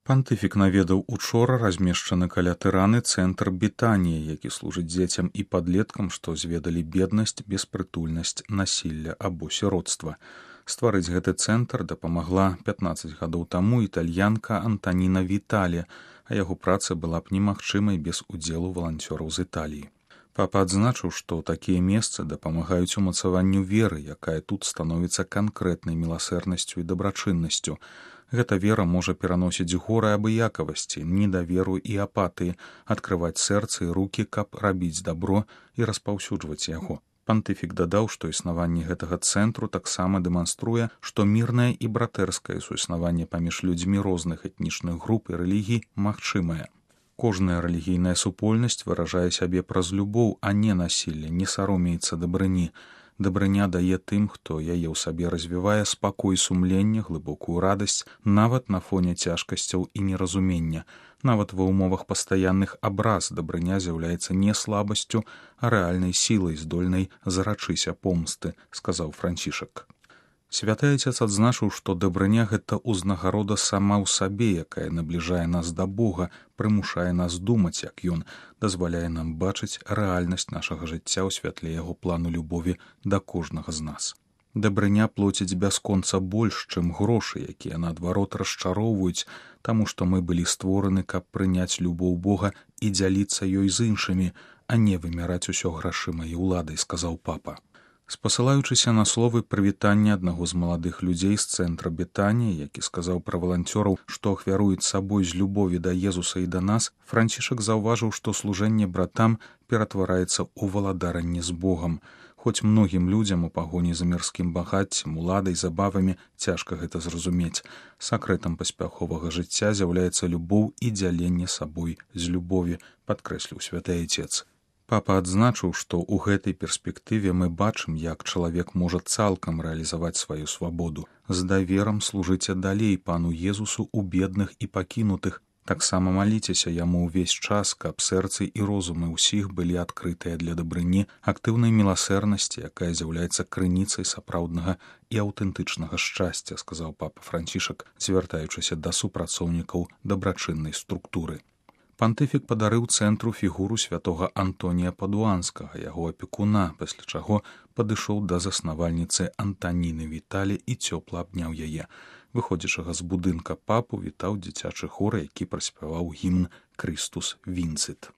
Пантыфік наведаў учора размешчаны каля Тыраны цэнтр Бетаніі, які служыць дзецям і падлеткам, што зведалі беднасць, беспрытульнасць, насілля або сіротства. Стварыць гэты цэнтр дапамагла 15 гадоў таму італьянка Антаніна Вітале, а яго праца была б немагчымай без удзелу валанцёраў з Італіі. Папа адзначыў, што такія месцы дапамагаюць умацаванню веры, якая тут становіцца канкрэтнай міласэрнасцю і дабрачыннасцю. Гэта вера можа пераносіць горы абыякавасці, недаверу і апатыі, адкрываць сэрцы і рукі, каб рабіць дабро і распаўсюджваць яго. Пантыфік дадаў, што існаванне гэтага цэнтру таксама дэманструе, што мірнае і братэрскае суіснаванне паміж людзьмі розных этнічных груп і рэлігій магчымае. Кожная рэлігійная супольнасць выражае сябе праз любоў, а не насілле, не саромеецца дабрыні. Дабрыня дае тым, хто яе ў сабе развівае, спакой сумлення, глыбокую радасць, нават на фоне цяжкасцяў і неразумення. Нават ва ўмовах пастаянных абраз дабрыня з'яўляецца не слабасцю, а рэальнай сілай, здольнай зарачыся помсты, сказаў Францішак. Святы Отец адзначыў, што дабрыня — гэта ўзнагарода сама ў сабе, якая набліжае нас да Бога, прымушае нас думаць, як Ён, дазваляе нам бачыць рэальнасць нашага жыцця ў святле яго плану любові да кожнага з нас. Дабрыня плоціць бясконца больш, чым грошы, якія наадварот расчароўваюць, таму што мы былі створаны, каб прыняць любоў Бога і дзяліцца ёй з іншымі, а не вымяраць усё грашыма і ўладай, сказаў папа. Спасылаючыся на словы прывітання аднаго з маладых людзей з цэнтра Бетаніі, які сказаў пра валанцёраў, што ахвяруюць сабой з любові да Езуса і да нас, Францішак заўважыў, што служэнне братам ператвараецца ў валадаранне з Богам. Хоць многім людзям у пагоні за мірскім багаццем, уладай, забавамі цяжка гэта зразумець. Сакрэтам паспяховага жыцця з'яўляецца любоў і дзяленне сабой з любові, падкрэсліў святы Отец. Папа адзначыў, што ў гэтай перспектыве мы бачым, як чалавек можа цалкам рэалізаваць сваю свабоду. З даверам служыце далей пану Езусу ў бедных і пакінутых. Таксама маліцеся яму ўвесь час, каб сэрцы і розумы ўсіх былі адкрытыя для дабрыні, актыўнай міласэрнасці, якая з'яўляецца крыніцай сапраўднага і аўтэнтычнага шчасця, сказаў папа Францішак, звяртаючыся да супрацоўнікаў дабрачыннай структуры. Пантыфік падарыў цэнтру фігуру святога Антонія Падуанскага, яго апекуна, пасля чаго падышоў да заснавальніцы Антаніны Вітале і цёпла абняў яе. Выходзячага з будынка папу вітаў дзіцячы хор, які праспяваў гімн «Крыстус Вінцит».